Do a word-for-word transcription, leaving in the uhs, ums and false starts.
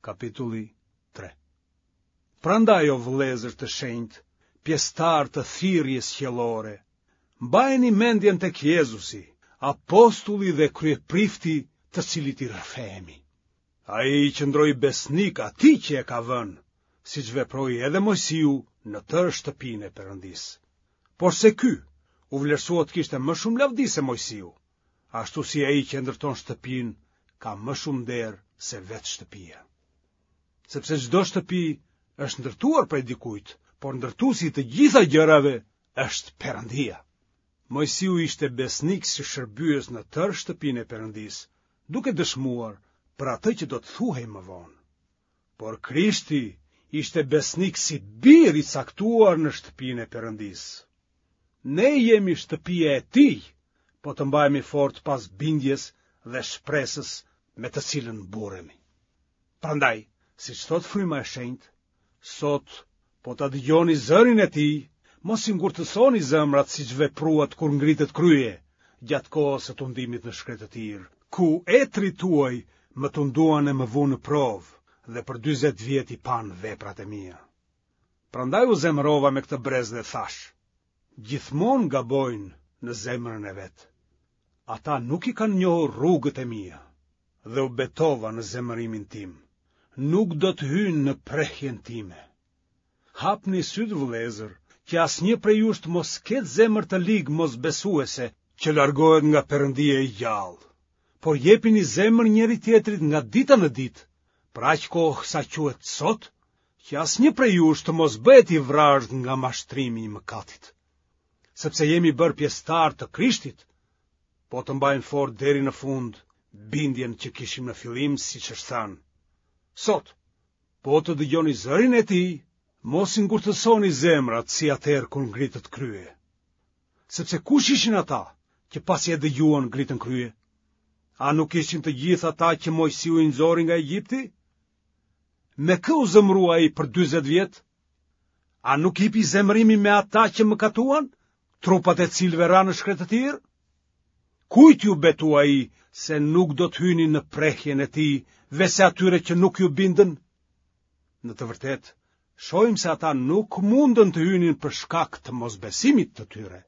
Kapitulli tre. Prandaj o vëllezër të shenjtë, pjesëtarë të thirrjes qiellore, mbajeni mendjen tek Jezusi, apostulli dhe kryeprifti të cilit i rrëfehemi. Ai i qëndroi besnik atij që e ka vënë, siç veproi edhe Moisiu në tërë shtëpinë e Perëndisë. Porse ky u vlerësua të kishte më shumë lavdi se Moisiu, ashtu si ai që e ndërton shtëpinë ka më shumë nder se vetë shtëpia. Sepse çdo shtëpi është ndërtuar prej dikujt, por ndërtuesi i të gjitha gjërave është Perëndia. Moisiu ishte besnik si shërbyes në tërë shtëpinë e Perëndisë, duke dëshmuar për atë që do të thuhej më vonë. Por Krishti ishte besnik si bir i caktuar në shtëpinë e Perëndisë. Ne jemi shtëpia e tij, po të mbahemi fort pas bindjes dhe shpresës me të cilën mburremi. Prandaj, siç thotë Fryma e Shenjtë, sot po ta dëgjoni zërin e tij, mos i ngurtësoni zemrat siç vepruat kur ngritët krye, gjatë kohës së tundimit në shkretëtirë, ku etërit tuaj më tunduan e më vunë në provë dhe për dyzet vjet i panë veprat e mia. Prandaj u zemërova me këtë brez dhe thashë, gjithmonë gabojnë në zemrën e vet. Ata nuk i kanë njohur rrugët e mia dhe u betova në zemërimin tim, nuk do të hyjnë në prehjen time. Hapni sytë vëllezër, që asnjë prej jush të mos ketë zemër të ligë mosbesuese që largohet nga Perëndia i gjallë, por jepini zemër njëri-tjetrit nga dita në ditë, për aq kohë sa quhet sot, që asnjë prej jush të mos bëhet i vrazhdë nga mashtrimi i mëkatit. Sepse jemi bërë pjesëtarë të Krishtit, po të mbajmë fort deri në fund bindjen që kishim në fillim, siç është thënë. Sot, po të dëgjoni zërin e tij, mos i ngurtësoni zemrat si atëherë kur ngritët krye. Sepse kush ishin ata që pasi e dëgjuan ngritën krye? A nuk ishin të gjithë ata që Moisiu i nxori nga Egjipti? Me kë u zemërua ai për dyzet vjet? A nuk hipi zemërimi me ata që mëkatuan, trupat e cilëve ranë në shkretëtirë? Kujt iu betua ai se nuk do të hynin në prehjen e tij, veçse atyre që nuk iu bindën? Në të vërtetë, shohim se ata nuk mundën të hynin për shkak të mosbesimit të tyre.